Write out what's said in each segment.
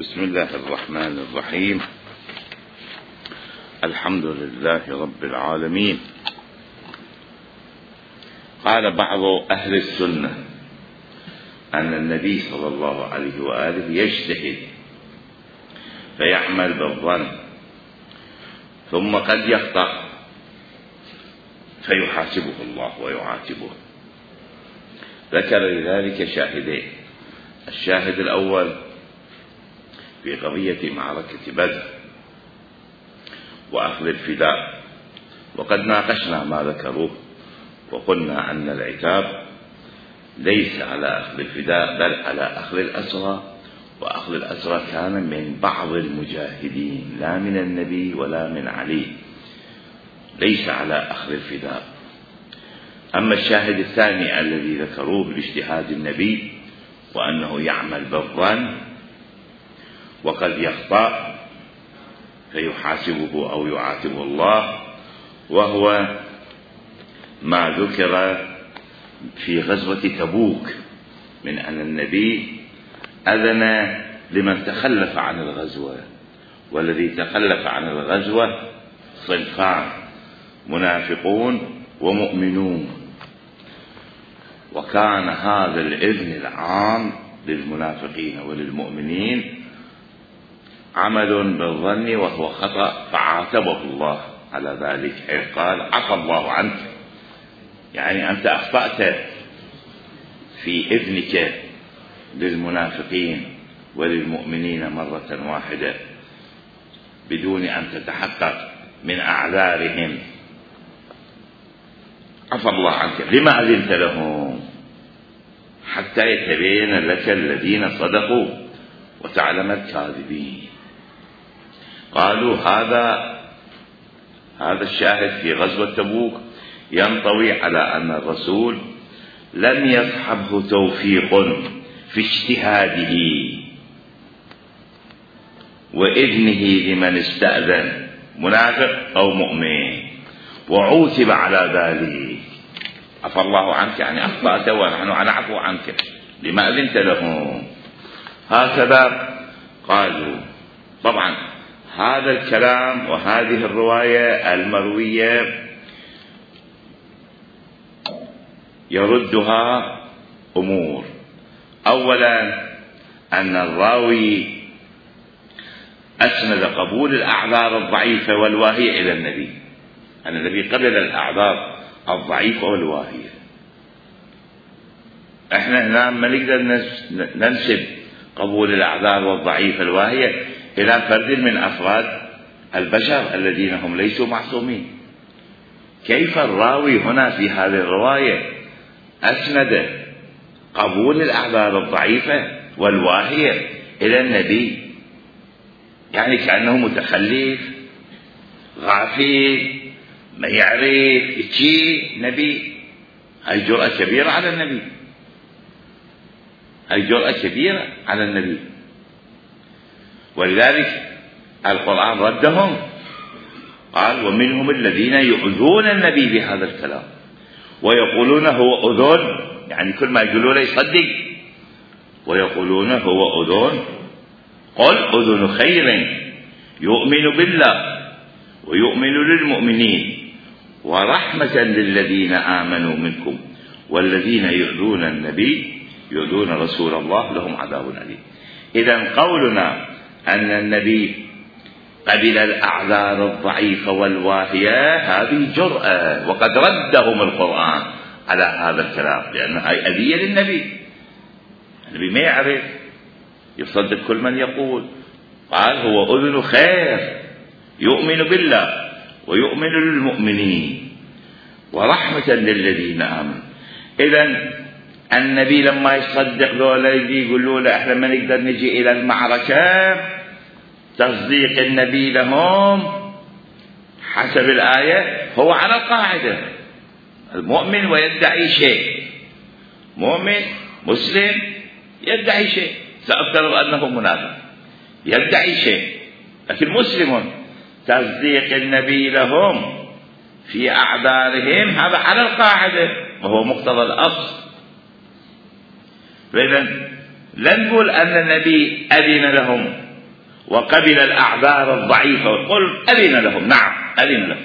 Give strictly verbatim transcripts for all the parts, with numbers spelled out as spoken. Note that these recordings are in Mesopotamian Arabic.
بسم الله الرحمن الرحيم. الحمد لله رب العالمين. قال بعض أهل السنة أن النبي صلى الله عليه وآله يجتهد فيعمل بالظن ثم قد يخطأ فيحاسبه الله ويعاتبه. ذكر لذلك شاهدين: الشاهد الأول في قضية معركة بدر وأخذ الفداء، وقد ناقشنا ما ذكروه وقلنا أن العتاب ليس على أخذ الفداء بل على أخذ الأسرى، وأخذ الأسرى كان من بعض المجاهدين لا من النبي ولا من علي، ليس على أخذ الفداء. أما الشاهد الثاني الذي ذكروه باجتهاد النبي وأنه يعمل بالظن وقد يخطأ فيحاسبه أو يعاتبه الله، وهو ما ذكر في غزوة تبوك من أن النبي أذن لمن تخلف عن الغزوة، والذي تخلف عن الغزوة صنفان: منافقون ومؤمنون. وكان هذا الإذن العام للمنافقين وللمؤمنين عمل بالظن وهو خطأ، فعاتبه الله على ذلك حيث قال: عفى الله عنك، يعني أنت أخطأت في إذنك للمنافقين وللمؤمنين مرة واحدة بدون أن تتحقق من أعذارهم. عفى الله عنك، لما أذنت لهم؟ حتى يتبين لك الذين صدقوا وتعلم الكاذبين. قالوا هذا هذا الشاهد في غزوة تبوك ينطوي على أن الرسول لم يصحبه توفيق في اجتهاده وإذنه لمن استأذن منافق أو مؤمن، وعوتب على ذلك. عفى الله عنك يعني أخطأت ونحن نعفو عنك، لما أذنت لهم؟ هكذا قالوا. طبعا هذا الكلام وهذه الرواية المروية يردها أمور. أولا أن الراوي أسند قبول الأعذار الضعيفة والواهية إلى النبي، أن النبي قبل الأعذار الضعيفة والواهية. احنا هنا ما نقدر ننسب قبول الأعذار والضعيفة الواهية إلى فرد من أفراد البشر الذين هم ليسوا معصومين. كيف الراوي هنا في هذه الرواية أسند قبول الأعذار الضعيفة والواهية إلى النبي؟ يعني كأنه متخلف غافل ما يعرف شيء نبي. هاي جرأة كبيرة على النبي، هاي جرأة كبيرة على النبي. ولذلك القرآن ردهم، قال: ومنهم الذين يؤذون النبي بهذا الكلام ويقولون هو أذن، يعني كل ما يقولون يصدق، ويقولون هو أذن. قل أذن خير يؤمن بالله ويؤمن للمؤمنين ورحمة للذين آمنوا منكم والذين يؤذون النبي يؤذون رسول الله لهم عذاب أليم. إذن قولنا أن النبي قبل الأعذار الضعيفة والواهية هذه جرأة، وقد ردهم القرآن على هذا الكلام، لأن هذه أذية للنبي. النبي ما يعرف يصدق كل من يقول. قال: هو أذن خير يؤمن بالله ويؤمن للمؤمنين ورحمة للذين آمنوا. إذن النبي لما يصدق ذولا يجي يقولوا له احنا ما نقدر نجي إلى المعركة، تصديق النبي لهم حسب الآية هو على القاعدة: المؤمن ويدعي شيء، مؤمن مسلم يدعي شيء، سأفترض أنه منافق يدعي شيء، لكن مسلم تصديق النبي لهم في أعذارهم هذا على القاعدة وهو مقتضى الأصل. فإذا لا نقول أن النبي أذن لهم وقبل الأعذار الضعيفة، قل أذن لهم، نعم أذن لهم.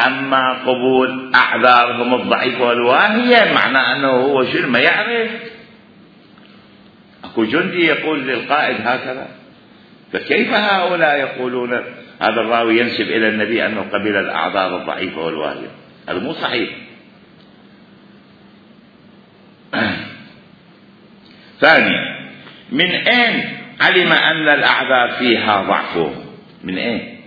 أما قبول أعذارهم الضعيفة والواهية معناه أنه هو شنو ما يعرف. أكو جندي يقول للقائد هكذا، فكيف هؤلاء يقولون هذا الراوي ينسب إلى النبي أنه قبل الأعذار الضعيفة والواهية؟ هذا مو صحيح. ثانيا، من أين علم أن الأعذار فيها ضعف؟ من أين؟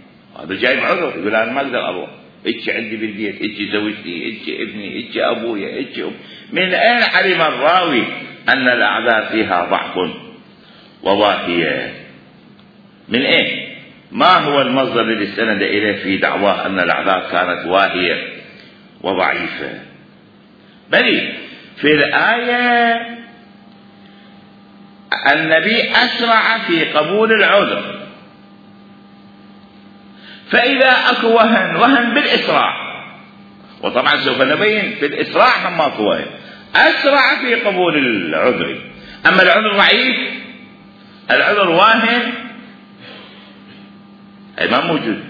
هذا جايب عذر، يقول أنا ما أقدر أروح، إيش عندي بالبيت، إيش زوجتي، إيش ابني، إيش أبويا، إيش أم. من أين علم الراوي أن الأعذار فيها ضعف وواهية؟ من أين؟ ما هو المصدر الذي استند إليه في دعواه أن الأعذار كانت واهية وضعيفة؟ بل في الآية النبي أسرع في قبول العذر، فإذا أكو وهن وهن بالإسراع، وطبعا سوف نبين في الإسراع هم أكو وهن، أسرع في قبول العذر. أما العذر ضعيف، العذر واهن، أي ما موجود.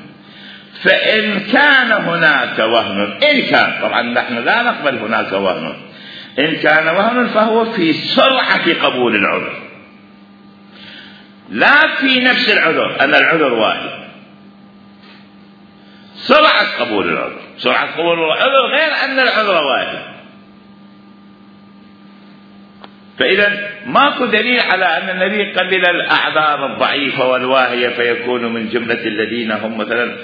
فإن كان هناك وهن، إن كان، طبعا نحن لا نقبل هناك وهن، إن كان وهن فهو في سرعة قبول العذر، لا في نفس العذر أن العذر واحد. سرعة قبول العذر، سرعة قبول العذر غير أن العذر واحد. فإذا ماكو دليل على أن النبي قبل الأعذار الضعيفة والواهية فيكون من جملة الذين هم مثلا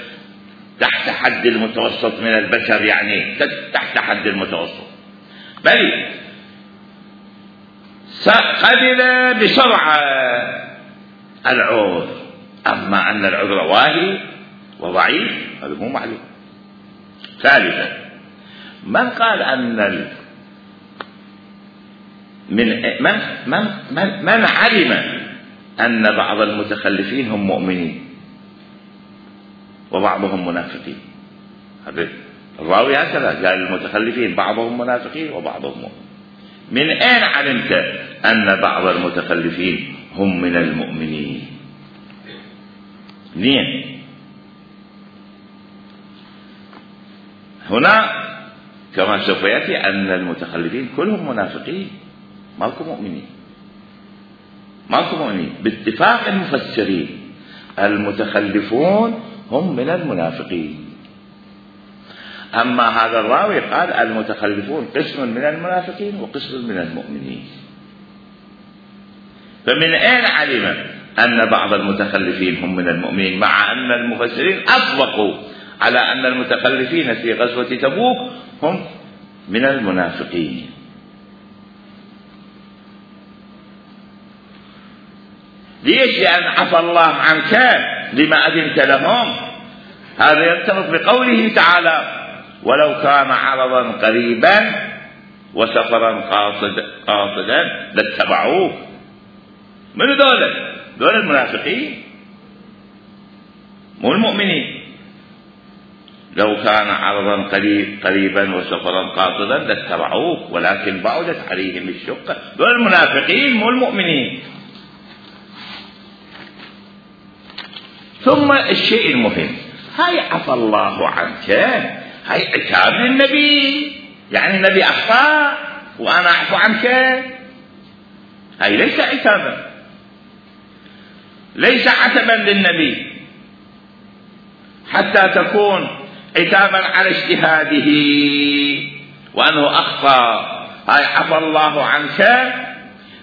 تحت حد المتوسط من البشر، يعني تحت حد المتوسط، بل قبل بسرعة العذر. أما أن العذر واهي وضعيف هذا مو معلوم. ثالثا، من قال أن ال... من من من من, من علم أن بعض المتخلفين هم مؤمنين وبعضهم منافقين؟ هذا الراوي هكذا قال المتخلفين بعضهم منافقين وبعضهم مؤمنين. من أين علمت أن بعض المتخلفين هم من المؤمنين؟ منين؟ هنا كما سوف يأتي أن المتخلفين كلهم منافقين، ماكو مؤمنين، ماكو مؤمنين باتفاق المفسرين. المتخلفون هم من المنافقين. أما هذا الراوي قال المتخلفون قسم من المنافقين وقسم من المؤمنين. فمن أين علم أن بعض المتخلفين هم من المؤمنين، مع أن المفسرين أطلقوا على أن المتخلفين في غزوة تبوك هم من المنافقين؟ ليش؟ لأن عفى الله عنك لما أذنت لهم. هذا يرتبط بقوله تعالى ولو كان عرضا قريبا وسفرا قاصد قاصدا لاتبعوه. من دول؟ دول المنافقين مو المؤمنين. لو كان عرضا قريب قريبا وسفرا قاصدا لاتبعوه ولكن بعدت عليهم الشقة. دول المنافقين مو المؤمنين. ثم الشيء المهم، هاي عفى الله عنك، هاي عتاب للنبي، يعني النبي أخطأ وأنا أعفو عنك. هاي ليس عتابا، ليس عتبا للنبي حتى تكون عتابا على اجتهاده وأنه أخطأ. هاي عفى الله عنك،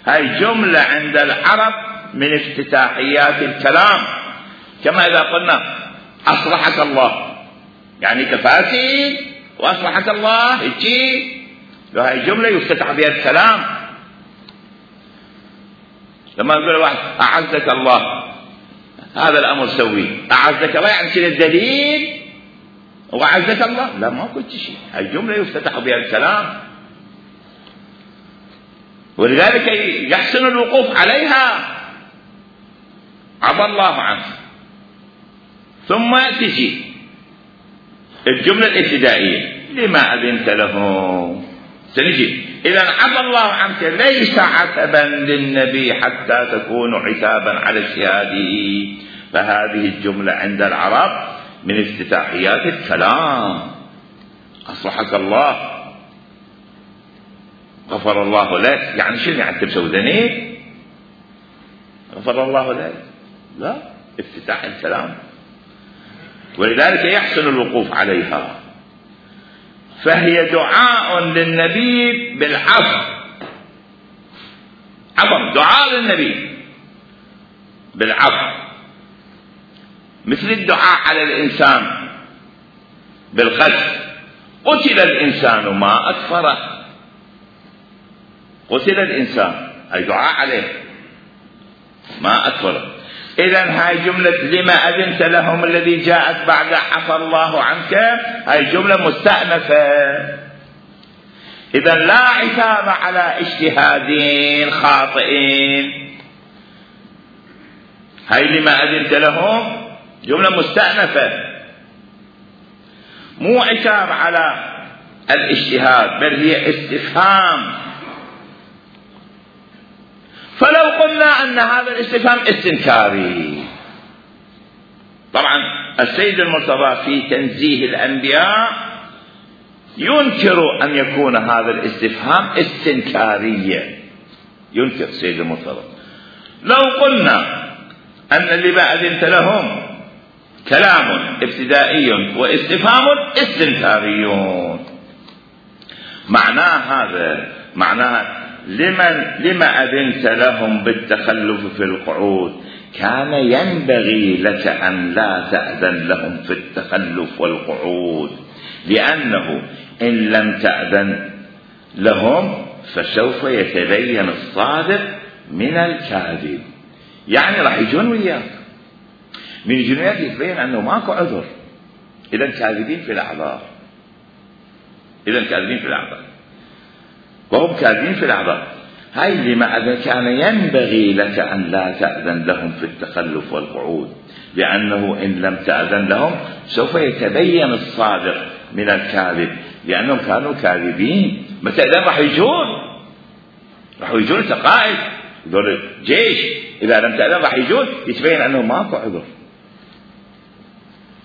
هاي جملة عند العرب من افتتاحيات الكلام، كما إذا قلنا أصلحك الله، يعني كفاسد وأصلحك الله هيجي، هاي جملة يفتتح بها الكلام. لما يقول واحد أعزك الله، هذا الأمر سوي، أعزك الله يعني شنو الدليل؟ وأعزك الله، لا ما قلت شيء، هاي جملة يفتتح بها الكلام، ولذلك يحسن الوقوف عليها. عفى الله عنه، ثم تجي الجملة الابتدائية لما أذنت لهم. سنجي إذا عفى الله عنك ليس عتبا للنبي حتى تكون عتابا على اجتهاده. فهذه الجملة عند العرب من افتتاحيات الكلام. أصلحك الله، غفر الله لك، يعني شنو يعني تسوي ذنب؟ غفر الله لك؟ لا، افتتاح الكلام. ولذلك يحسن الوقوف عليها. فهي دعاء للنبي بالعفو، عفو، دعاء للنبي بالعفو، مثل الدعاء على الإنسان بالقتل. قتل الإنسان ما أكفره، قتل الإنسان أي دعاء عليه ما أكفره. إذن هاي جملة لما أذنت لهم الذي جاءت بعد عفى الله عنك، هاي جملة مستأنفة. إذن لا عتاب على اجتهادين خاطئين. هاي لما أذنت لهم جملة مستأنفة، مو عتاب على الاجتهاد، بل هي استفهام. فلو قلنا أن هذا الاستفهام استنكاري، طبعا السيد المرتضى في تنزيه الأنبياء ينكر أن يكون هذا الاستفهام استنكاريا، ينكر السيد المرتضى. لو قلنا أن اللي أذنت لهم كلام ابتدائي واستفهام استنكاريون، معناه هذا معناه لمن لما أذنت لهم بالتخلف في القعود، كان ينبغي لك أن لا تأذن لهم في التخلف والقعود، لأنه إن لم تأذن لهم فسوف يتبين الصادق من الكاذب. يعني راح يجون وياك، من يجون وياك يتبين أنه ماكو عذر، إذا كاذبين في الأعذار، إذا كاذبين في الأعذار، وهم كاذبين في الأعذار. هاي لما كان ينبغي لك أن لا تأذن لهم في التخلف والقعود، لأنه إن لم تأذن لهم سوف يتبين الصادق من الكاذب، لأنهم كانوا كاذبين. متى إذا راح يجون، راح يجون قائد دول جيش، إذا لم تأذن راح يجون يتبين أنه ماكو عذر،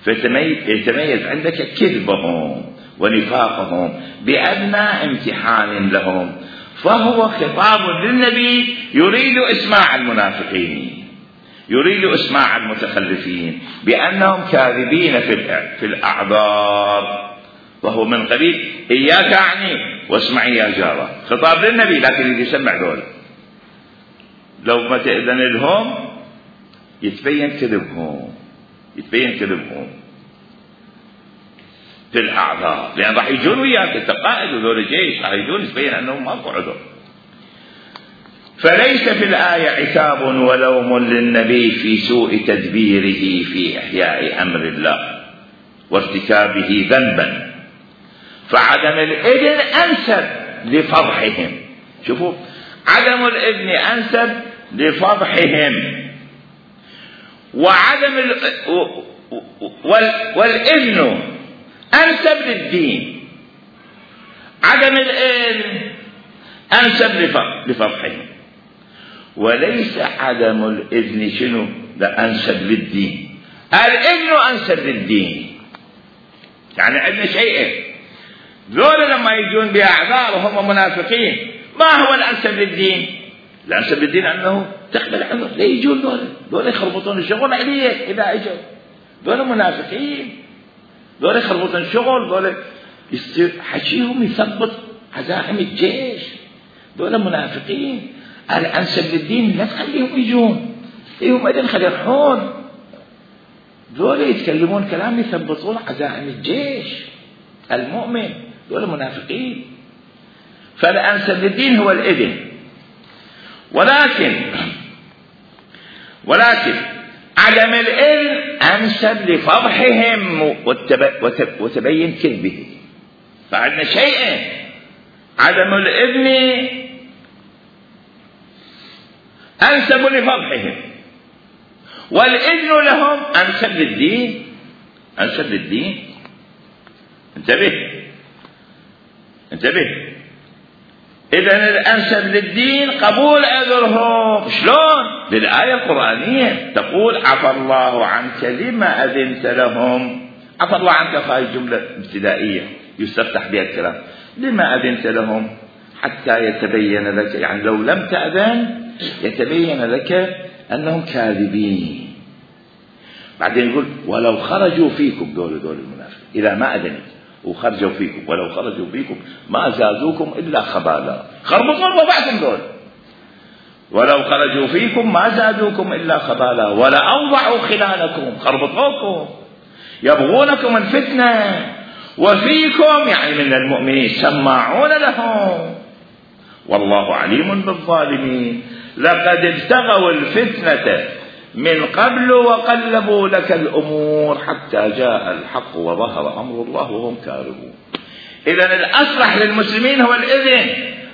فيتميز عندك كذبهم ونفاقهم بأدنى امتحان لهم. فهو خطاب للنبي يريد إسماع المنافقين، يريد إسماع المتخلفين بأنهم كاذبين في الأعذار، وهو من قبيل إياك أعني واسمعي يا جارة، خطاب للنبي لكن يريد يسمع دول. لو ما تأذن لهم يتبين كذبهم، يتبين كذبهم في الأعذار، لأن راح يجون وياك، أنت قائد وذول الجيش راح يجون يتبين أنهم ماكو عذر. فليس في الآية عتاب ولوم للنبي في سوء تدبيره في إحياء أمر الله وارتكابه ذنبا، فعدم الإذن أنسب لفضحهم. شوفوا، عدم الإذن أنسب لفضحهم، وعدم ال... وال... والإذن أنسب للدين. عدم الإذن أنسب لفضحهم، وليس عدم الإذن شنو لا أنسب للدين، الإذن أنسب للدين. يعني عندنا شيئين، ذولا لما يجون بأعذار وهم منافقين، ما هو الأنسب للدين؟ الأنسب للدين أنه تقبل عذر، لا يجون ذولا، ذولا يخربطون الشغل عليك إذا أجوا، ذولا منافقين، ذولا يخربطون الشغل، ذولا حكيهم يثبط عزائم الجيش، ذولا منافقين. الأنسب للدين لا تخليهم يجون، إيهم أيضا خلي يروحون، ذولا يتكلمون كلام يثبطون عزائم الجيش المؤمن، ذولا منافقين. فالأنسب للدين هو الإذن، ولكن ولكن عدم الإذن أنسب لفضحهم وتبين كذبه. فعندنا شيئين، عدم الإذن أنسب لفضحهم، والإذن لهم أنسب للدين، أنسب للدين. انتبه انتبه إذن الأنسب للدين قبول عذرهم. شلون؟ بالآية القرآنية تقول عفى الله عنك لما أذنت لهم. عفى الله عنك هاي جملة ابتدائية يستفتح بها الكلام. لما أذنت لهم حتى يتبين لك، يعني لو لم تأذن يتبين لك أنهم كاذبين. بعدين يقول ولو خرجوا فيكم، دول دول المنافقين إذا ما أذنت وخرجوا فيكم، ولو خرجوا فيكم ما زادوكم إلا خبالا. خربطوا بعضكم دول. ولو خرجوا فيكم ما زادوكم إلا خبالا ولا أوضعوا خلالكم، خربطوكم يبغونكم الفتنة، وفيكم يعني من المؤمنين سماعون لهم والله عليم بالظالمين. لقد ابتغوا الفتنة من قبل وقلبوا لك الأمور حتى جاء الحق وظهر أمر الله وهم كارهون. إذن الأصلح للمسلمين هو الإذن،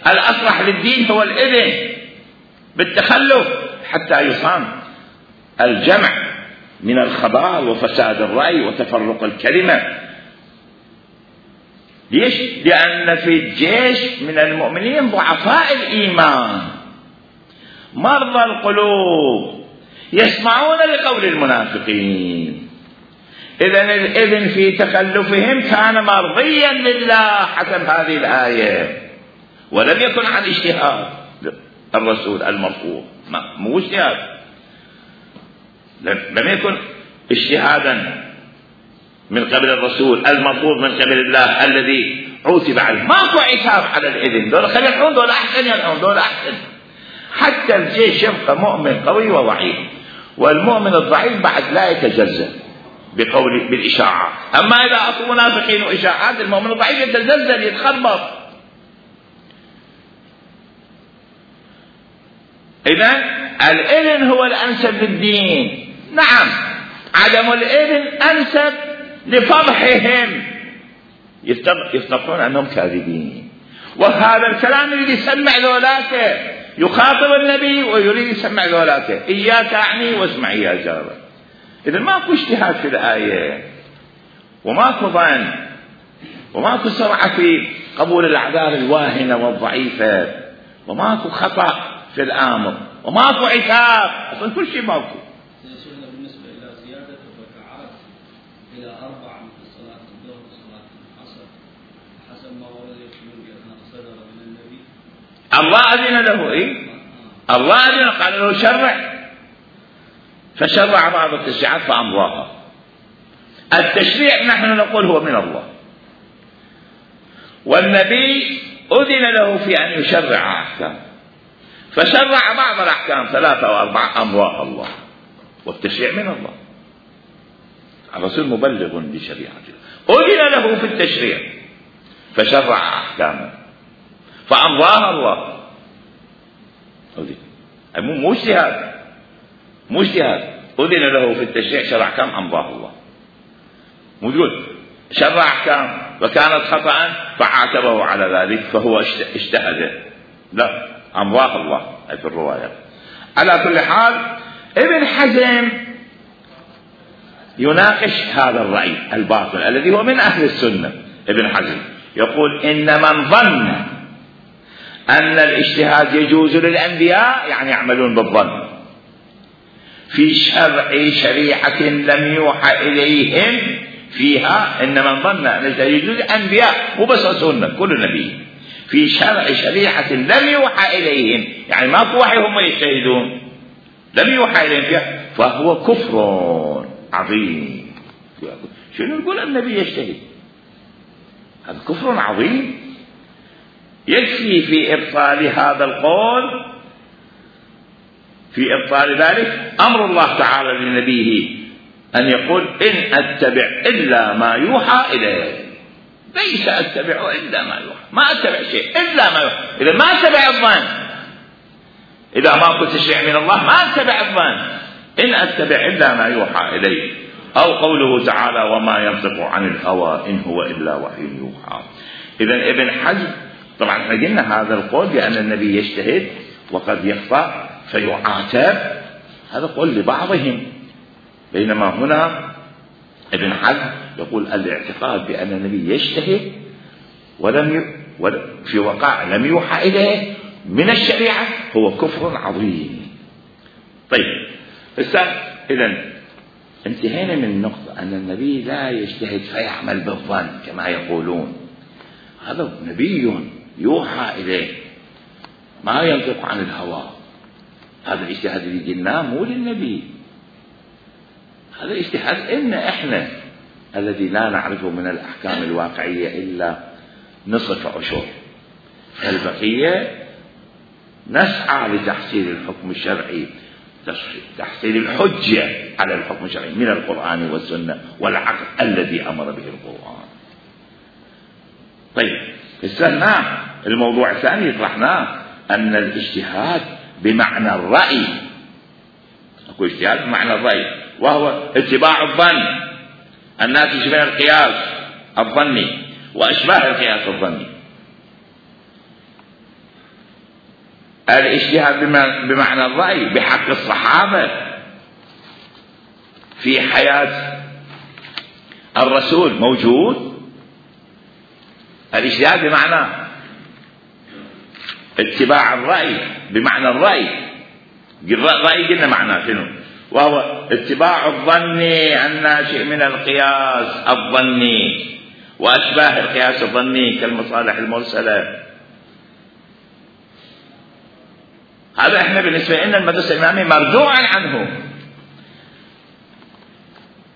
الأصلح للدين هو الإذن بالتخلف حتى يصان الجمع من الخبال وفساد الرأي وتفرق الكلمة. ليش؟ لأن في الجيش من المؤمنين ضعفاء الإيمان مرضى القلوب يسمعون لقول المنافقين. إذن الإذن في تخلفهم كان مرضيا لله حسب هذه الآية، ولم يكن عن اجتهاد الرسول المرفوض، مو اجتهاد، لم يكن اجتهادا من قبل الرسول المرفوض من قبل الله الذي عوتب عليه. ماكو عتاب على الإذن، دول خلي يلعون، دول أحسن يلعون، دول أحسن. حتى الجيش يبقى مؤمن قوي وضعيف، والمؤمن الضعيف بعد لا يتزلزل بقول بالإشاعات. أما إذا أصل منافقين وإشاعات المؤمن الضعيف يتزلزل يتخربط. إذن الإذن هو الأنسب للدين. نعم عدم الإذن أنسب لفضحهم، يفتقون أنهم كاذبين. وهذا الكلام يريد يسمع ذولاك، يخاطب النبي ويريد يسمع ذولاك إياك أعني واسمعي يا جار. إذن ماكو اجتهاد في الآية، وماكو ظن، وماكو سرعة في قبول الأعذار الواهنة والضعيفة، وماكو خطأ في الآمر، وماكو عتاب، أصلا كل شيء ماكو. سيدنا بالنسبة إلى زيادة الركعات إلى أربع مثل صلاة الظهر وصلاة العصر حسب ما ورد يقول بأنها صدر من النبي. الله أذن له، إيه؟ الله أذن، قال له شرع، فشرع بعض التشريعات فأمضاها. التشريع نحن نقول هو من الله، والنبي أذن له في أن يشرع أحكام، فشرع بعض الأحكام ثلاثة أو أربعة أمضاها الله، والتشريع من الله. الرسول مبلغ بشريعته، أذن له في التشريع فشرع أحكاما فأمضاها الله. أذن مو اجتهاد، مو اجتهاد، أذن له في التشريع شرع أحكام أمضاها الله. مو تقول شرع أحكام وكانت خطأ فعاتبه على ذلك فهو اجتهد، لا، أمضاها الله في الرواية. على كل حال ابن حزم يناقش هذا الرأي الباطل الذي هو من أهل السنة. ابن حزم يقول إن من ظن أن الاجتهاد يجوز للأنبياء يعني يعملون بالظن في شرع شريعة لم يوحى إليهم فيها، إن من ظن أن الاجتهاد يجوز للأنبياء مو بس السنة كل نبي في شرع شريعة لم يوحى إليهم، يعني ماكو وحي هم يجتهدون، لم يوحى إليهم فيها، فهو كفر عظيم. شنو يقول النبي يجتهد؟ هذا كفر عظيم. يكفي في إبطال هذا القول، في إبطال ذلك أمر الله تعالى لنبيه أن يقول إن أتبع إلا ما يوحى إليه، ليس أتبع إلا ما يوحى، ما أتبع شيء إلا ما يوحى. إذا ما أتبع الظن، إذا ما كنت تشريع من الله ما أتبع الظن، إن أتبع إلا ما يوحى إليه. أو قوله تعالى وما ينطق عن الهوى إن هو إلا وحي يوحى. إذا ابن حزم طبعا احنا قلنا هذا القول بأن النبي يجتهد وقد يخطأ فيعاتب، هذا قول لبعضهم، بينما هنا ابن حزم يقول الاعتقاد بأن النبي يجتهد ولم في وقائع لم يوحى إليه من الشريعة هو كفر عظيم. طيب إذن انتهينا من النقطة أن النبي لا يجتهد فيعمل بالظن كما يقولون. هذا نبي يوحى إليه ما ينطق عن الهوى. هذا الاجتهاد اللي قلناه مو للنبي، هذا اجتهاد إن إحنا الذي لا نعرفه من الأحكام الواقعية إلا نصف عشر، فالبقية نسعى لتحصيل الحكم الشرعي، تحصيل الحجة على الحكم الشرعي من القرآن والسنة والعقل الذي أمر به القرآن. طيب استناه الموضوع الثاني طرحناه أن الاجتهاد بمعنى الرأي، أكو اجتهاد بمعنى الرأي وهو اتباع الظن الناتج من القياس الظني وأشباه القياس الظني. الاجتهاد بمعنى الرأي بحق الصحابة في حياة الرسول موجود. الاجتهاد بمعنى اتباع الرأي بمعنى الرأي، الرأي قلنا معناه شنو؟ وهو اتباع الظن الناشئ من القياس الظني وأشباه القياس الظني كالمصالح المرسلة. هذا احنا بالنسبة لنا المدرسة الإمامية مردوعا عنه.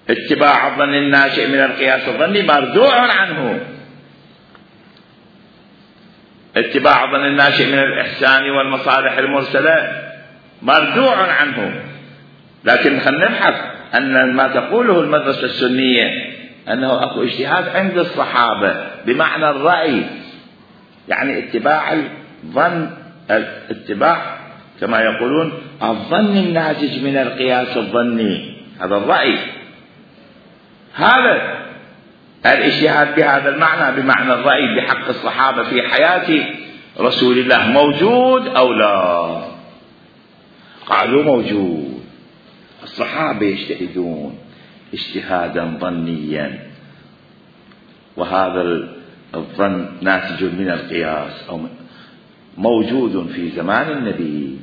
اتباع الظن الناشئ من القياس الظني مردوع عنه. اتباع الظن الناشئ من الإحسان والمصالح المرسلة مردوع عنه. لكن خلينا نبحث أن ما تقوله المدرسة السنية أنه أكو اجتهاد عند الصحابة بمعنى الرأي، يعني اتباع الظن، اتباع كما يقولون الظن الناتج من القياس الظني، هذا الرأي. هذا الاجتهاد بهذا المعنى بمعنى الرأي بحق الصحابة في حياة رسول الله موجود أو لا؟ قالوا موجود. الصحابة يجتهدون اجتهادا ظنيا، وهذا الظن ناتج من القياس أو موجود في زمان النبي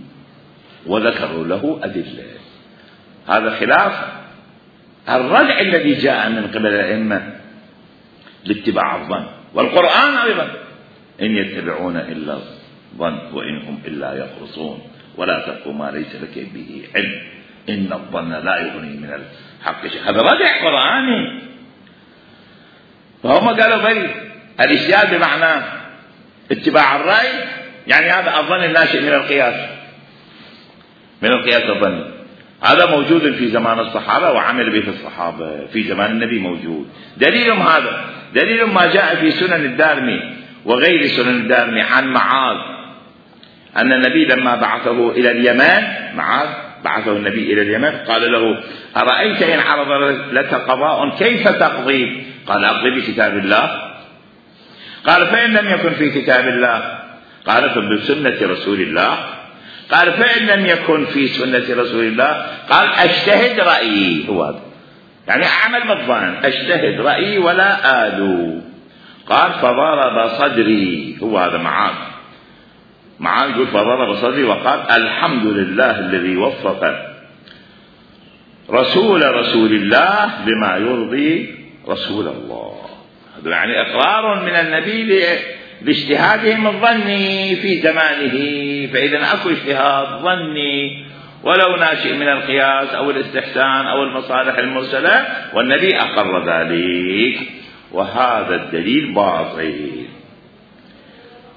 وذكروا له أدلة. هذا خلاف الردع الذي جاء من قبل الأئمة لاتباع الظن، والقرآن أيضا إن يتبعون إلا الظن وإن هم إلا يخرصون ولا تقف ما ليس لك به علم إن الظن لا يغني من الحق شيء. هذا ردع قرآني. فهم قالوا بل الاجتهاد بمعنى اتباع الرأي، يعني هذا الظن الناشئ من القياس من القياس الظني، هذا موجود في زمان الصحابة وعمل به الصحابة في زمان النبي موجود. دليلهم هذا دليل ما جاء في سنن الدارمي وغير سنن الدارمي عن معاذ أن النبي لما بعثه إلى اليمن، معاذ بعثه النبي إلى اليمن قال له أرأيت إن عرض لك قضاء كيف تقضي؟ قال أقضي بكتاب الله. قال فإن لم يكن في كتاب الله؟ قال فبسنة رسول الله. قال فإن لم يكن في سنة رسول الله؟ قال أجتهد رأيي. هو هذا يعني أعمل بالظن، أجتهد رأيي ولا آلو. قال فضرب صدري. هو هذا معاذ معاذ يقول فضرب صدري وقال الحمد لله الذي وفق رسول رسول الله لما يرضي رسول الله. هذا يعني إقرار من النبي لاجتهادهم الظني في زمانه. فإذا أكو اجتهاد ظني ولو ناشئ من القياس أو الاستحسان أو المصالح المرسلة، والنبي أقر ذلك، وهذا الدليل باطل.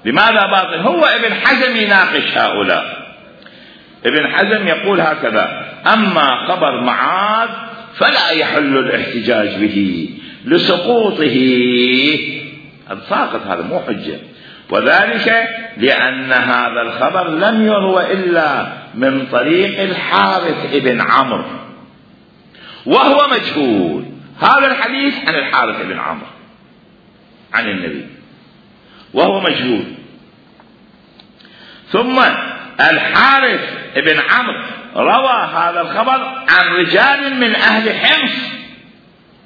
لماذا باطل؟ هو ابن حزم يناقش هؤلاء. ابن حزم يقول هكذا: أما خبر معاذ فلا يحل الاحتجاج به لسقوطه، هذا ساقط، هذا مو حجة، وذلك لأن هذا الخبر لم يروى إلا من طريق الحارث ابن عمرو وهو مجهول. هذا الحديث عن الحارث ابن عمرو عن النبي وهو مجهول. ثم الحارث ابن عمرو روى هذا الخبر عن رجال من أهل حمص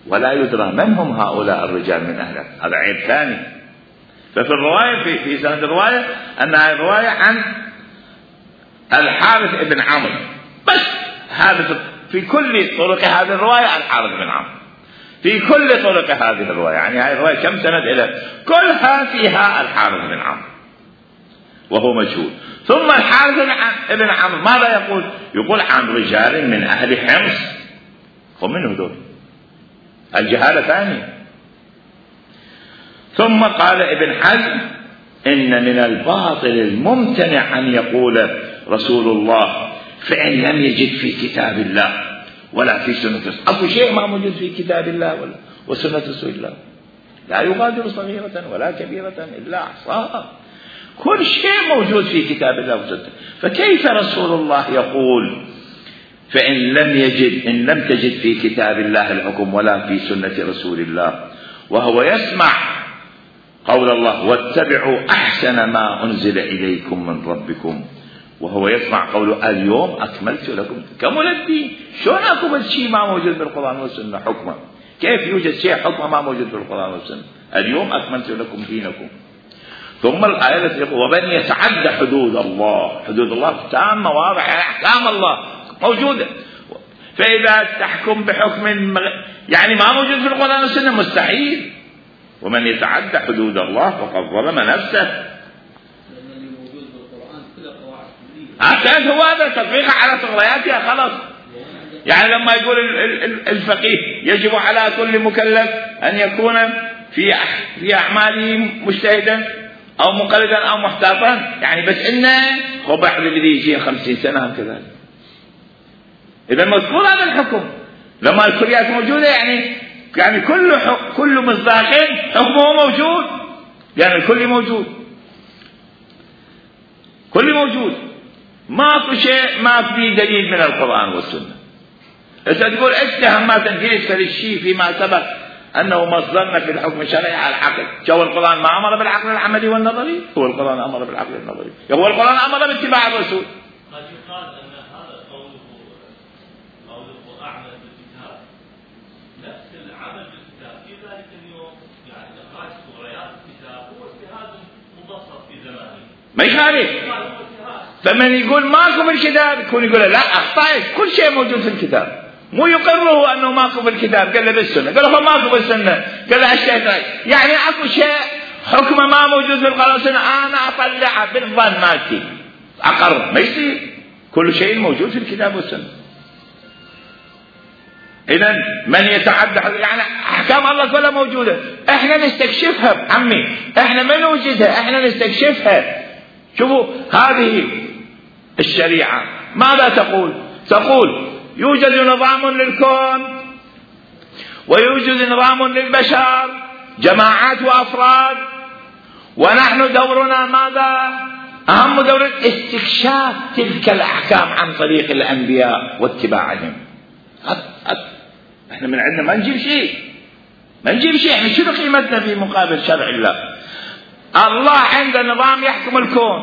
ولا يدرى من هم هؤلاء الرجال من أهل. هذا عيب ثاني. ففي الرواية في, في سند الرواية أنها رواية عن الحارث بن عمرو بس. هذا في كل طرق هذه الرواية الحارث بن عمرو، في كل طرق هذه الرواية، يعني هذه الرواية كم سند إلى كلها فيها الحارث بن عمرو وهو مشهور. ثم الحارث بن عمرو ماذا يقول؟ يقول عن رجال من أهل حمص. ومن هذول الجهالة ثانية. ثم قال ابن حزم إن من الباطل الممتنع أن يقول رسول الله فإن لم يجد في كتاب الله ولا في سنة رسول الله. أكو شيء ما موجود في كتاب الله ولا وسنة رسول الله، لا يغادر صغيرة ولا كبيرة إلا أحصاها. كل شيء موجود في كتاب الله وسنة. فكيف رسول الله يقول فإن لم يجد إن لم تجد في كتاب الله الحكم ولا في سنة رسول الله، وهو يسمع قول الله واتبعوا أحسن ما أنزل إليكم من ربكم، وهو يسمع قوله اليوم أكملت لكم كمل الدين. شلون أكمل شيء ما موجود بالقرآن والسنة حكما؟ كيف يوجد شيء حكما ما موجود بالقرآن والسنة؟ اليوم أكملت لكم دينكم. ثم الآية التي يقول ومن يتعدى حدود الله، حدود الله تامة واضحة، أحكام الله موجودة. فإذا تحكم بحكم يعني ما موجود في القرآن والسنة مستحيل. ومن يتعدى حدود الله فقد ظلم نفسه. عشان هو هذا تطبيقه على طغرياتها خلاص. يعني لما يقول الفقيه يجب على كل مكلف أن يكون في في أعماله مجتهدا أو مقلدا أو محتاطا، يعني بس إنه هو بعد بدي يجي خمسين سنة كذا. إذا مذكور هذا الحكم لما الكليات موجودة، يعني يعني كل كل مصداق حكمه موجود، يعني الكل موجود، كل موجود، ماكو شيء ما في دليل من القرآن والسنة. إذا تقول اتهم ما تنفيذ الشيء فيما سبق أنه مصدرنا في الحكم الشرعي على العقل. جو القرآن ما أمر بالعقل العملي والنظري؟ هو القرآن أمر بالعقل النظري، هو القرآن أمر باتباع الرسول. قد يقال أن هذا قوله قوله أعمل بالكتاب نفس العمل بالكتاب في ذلك اليوم، يعني إخراج مغريات الكتاب هو اجتهاد مبسط في زمانه ما يخالف. فمن يقول ماكو بالكتاب يكون يقول لا أخطأت، كل شيء موجود في الكتاب، مو يقره أنه ماكو بالكتاب، قال له بالسنة، قال له ماكو بالسنة، قال له الشيطان. يعني أكو شيء حكم ما موجود في القرآن والسنة أنا أطلعه بالظن مالتي أقر، ما يصير. كل شيء موجود في الكتاب والسنة. إذن من يتعدى يعني أحكام الله كلها موجودة، إحنا نستكشفها عمي، إحنا ما نوجدها، إحنا نستكشفها. شوفوا هذه الشريعة ماذا تقول؟ تقول يوجد نظام للكون ويوجد نظام للبشر، جماعات وأفراد، ونحن دورنا ماذا؟ أهم دور استكشاف تلك الأحكام عن طريق الأنبياء واتباعهم. احنا من عندنا ما نجيب شيء، ما نجيب شيء، احنا شنو قيمتنا في مقابل شرع الله؟ الله عنده نظام يحكم الكون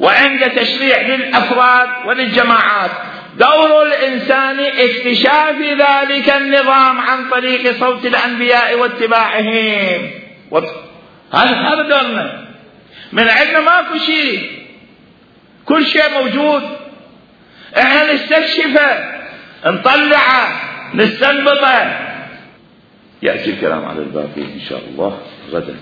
وعنده تشريع للأفراد وللجماعات. دور الإنسان اكتشاف ذلك النظام عن طريق صوت الأنبياء واتباعهم. هذا هذا دورنا. من عندنا ماكو شيء، كل شيء موجود، احنا نستكشفه، نطلعه، نستنبطه. يأتي الكلام على الباقي إن شاء الله غدا.